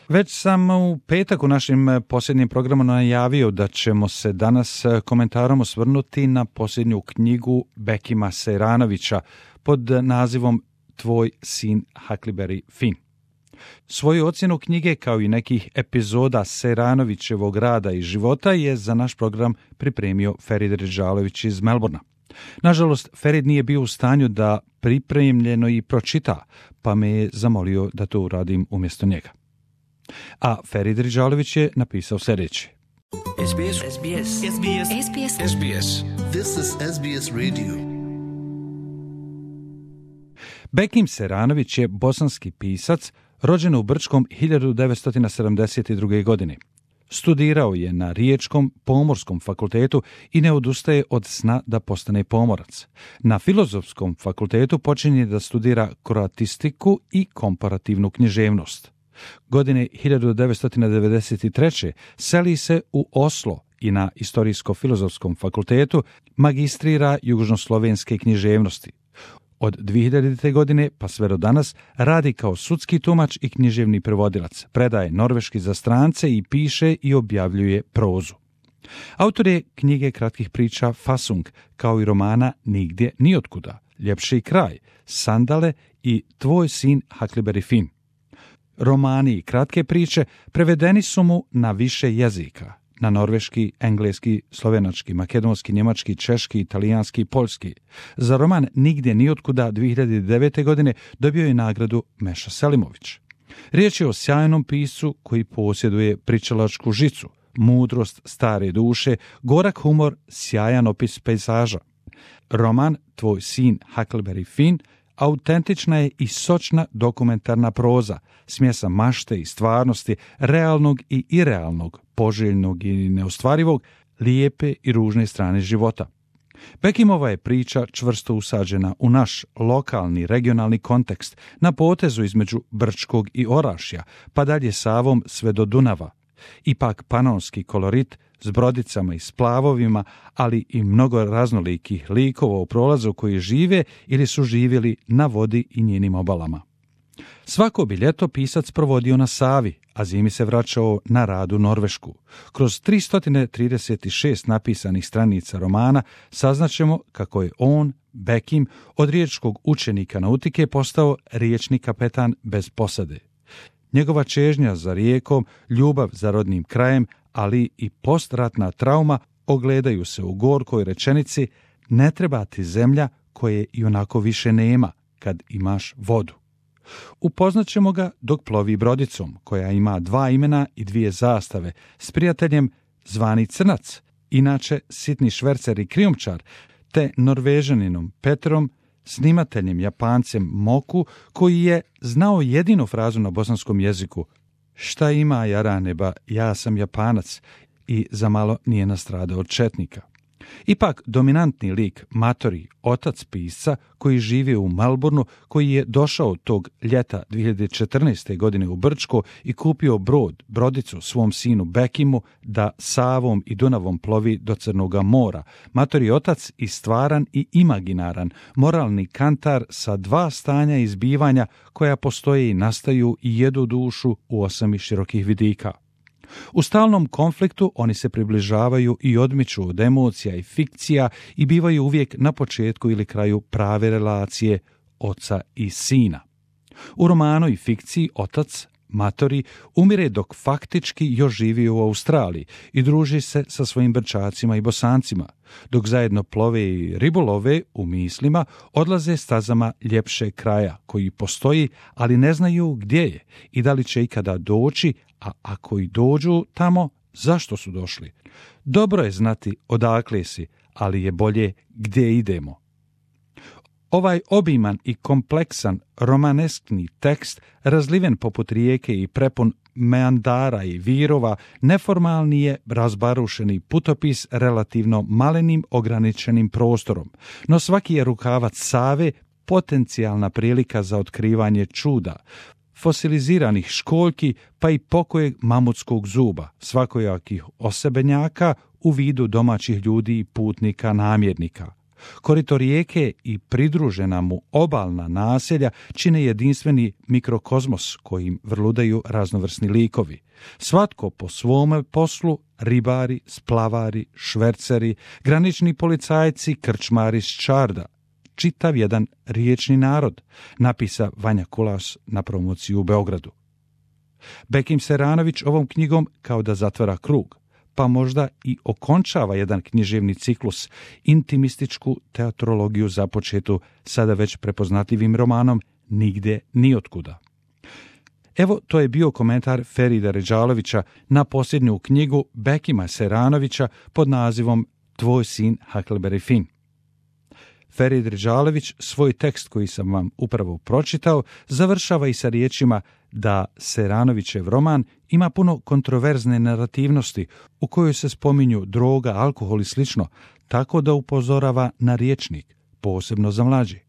Već sam u petak u našim posljednjim programu najavio da ćemo se danas komentarom osvrnuti na posljednju knjigu Bekima Sejranovića pod nazivom Tvoj sin Huckleberry Finn. Svoju ocjenu knjige kao i nekih epizoda Sejranovićevog rada i života je za naš program pripremio Ferid Ridžalović iz Melbourna. Nažalost, Ferid nije bio u stanju da pripremljeno i pročita, pa me je zamolio da to uradim umjesto njega. A Ferid Ridžalović je napisao sljedeće. SBS. This is SBS Radio. Bekim Sejranović je bosanski pisac, rođen u Brčkom 1972. godine. Studirao je na Riječkom pomorskom fakultetu i ne odustaje od sna da postane pomorac. Na Filozofskom fakultetu počinje da studira kroatistiku i komparativnu književnost. Godine 1993. seli se u Oslo i na Istorijsko-filozofskom fakultetu magistrira južnoslovenske književnosti. Od 2000. godine pa sve do danas radi kao sudski tumač i književni prevodilac, predaje norveški za strance i piše i objavljuje prozu. Autor je knjige kratkih priča Fasung, kao i romana Nigdje nijotkuda, Ljepši kraj, Sandale i Tvoj sin Huckleberry Finn. Romani i kratke priče prevedeni su mu na više jezika, na norveški, engleski, slovenački, makedonski, njemački, češki, italijanski i poljski. Za roman Nigdje nijotkuda 2009. godine dobio je nagradu Meša Selimović. Riječ je o sjajnom piscu koji posjeduje pričalačku žicu, mudrost stare duše, gorak humor, sjajan opis pejzaža. Roman Tvoj sin Huckleberry Finn autentična je i sočna dokumentarna proza, smjesa mašte i stvarnosti, realnog i irealnog, poželjnog i neostvarivog, lijepe i ružne strane života. Bekimova je priča čvrsto usađena u naš lokalni, regionalni kontekst, na potezu između Brčkog i Orašja, pa dalje Savom sve do Dunava. Ipak panonski kolorit s brodicama i splavovima, ali i mnogo raznolikih likova u prolazu koji žive ili su živjeli na vodi i njenim obalama. Svako bi ljeto pisac provodio na Savi, a zimi se vraćao na rad u Norvešku. Kroz 336 napisanih stranica romana saznaćemo kako je on, Bekim, od riječkog učenika nautike postao riječni kapetan bez posade. Njegova čežnja za rijekom, ljubav za rodnim krajem, ali i postratna trauma ogledaju se u gorkoj rečenici ne treba ti zemlja koje i onako više nema kad imaš vodu. Upoznaćemo ga dok plovi brodicom, koja ima 2 imena i 2 zastave, s prijateljem zvani Crnac, inače sitni švercer i krijumčar, te Norvežaninom Petrom, snimateljem Japancem Moku, koji je znao jedinu frazu na bosanskom jeziku: šta ima jaraneba, ja sam Japanac, i zamalo nije nastradao od četnika. Ipak dominantni lik Matori, otac pisca koji živi u Melbourneu, koji je došao tog ljeta 2014. godine u Brčko i kupio brodicu svom sinu Bekimu da Savom i Dunavom plovi do Crnoga mora. Matori otac i stvaran i imaginaran, moralni kantar sa 2 stanja izbivanja koja postoje i nastaju i jedu dušu u 8 širokih vidika. U stalnom konfliktu oni se približavaju i odmiču od emocija i fikcija i bivaju uvijek na početku ili kraju prave relacije oca i sina. U romanu i fikciji otac, Matori, umire dok faktički još živi u Australiji i druži se sa svojim Brčacima i Bosancima, dok zajedno plove i ribolove u mislima, odlaze stazama ljepše kraja koji postoji, ali ne znaju gdje je i da li će ikada doći, a ako i dođu tamo, zašto su došli. Dobro je znati odakle si, ali je bolje gdje idemo. Ovaj obiman i kompleksan romaneskni tekst, razliven poput rijeke i prepun meandara i virova, neformalni je razbarušeni putopis relativno malenim ograničenim prostorom, no svaki je rukavac Save potencijalna prilika za otkrivanje čuda, fosiliziranih školjki pa i pokojeg mamutskog zuba, svakojakih osebenjaka u vidu domaćih ljudi i putnika namjernika. Korito rijeke i pridružena mu obalna naselja čine jedinstveni mikrokozmos kojim vrludaju raznovrsni likovi. Svatko po svome poslu, ribari, splavari, šverceri, granični policajci, krčmari s Čarda. Čitav jedan riječni narod, napisa Vanja Kulas na promociju u Beogradu. Bekim Seranović ovom knjigom kao da zatvara krug, pa možda i okončava jedan književni ciklus, intimističku teatrologiju započetu sada već prepoznatljivim romanom Nigde niotkuda. Evo, to je bio komentar Ferida Redžalovića na posljednju knjigu Bekima Seranovića pod nazivom Tvoj sin Huckleberry Finn. Ferid Redžalović svoj tekst koji sam vam upravo pročitao završava i sa riječima da Seranovićev roman ima puno kontroverzne narativnosti u kojoj se spominju droga, alkohol i slično, tako da upozorava na rječnik, posebno za mlađe.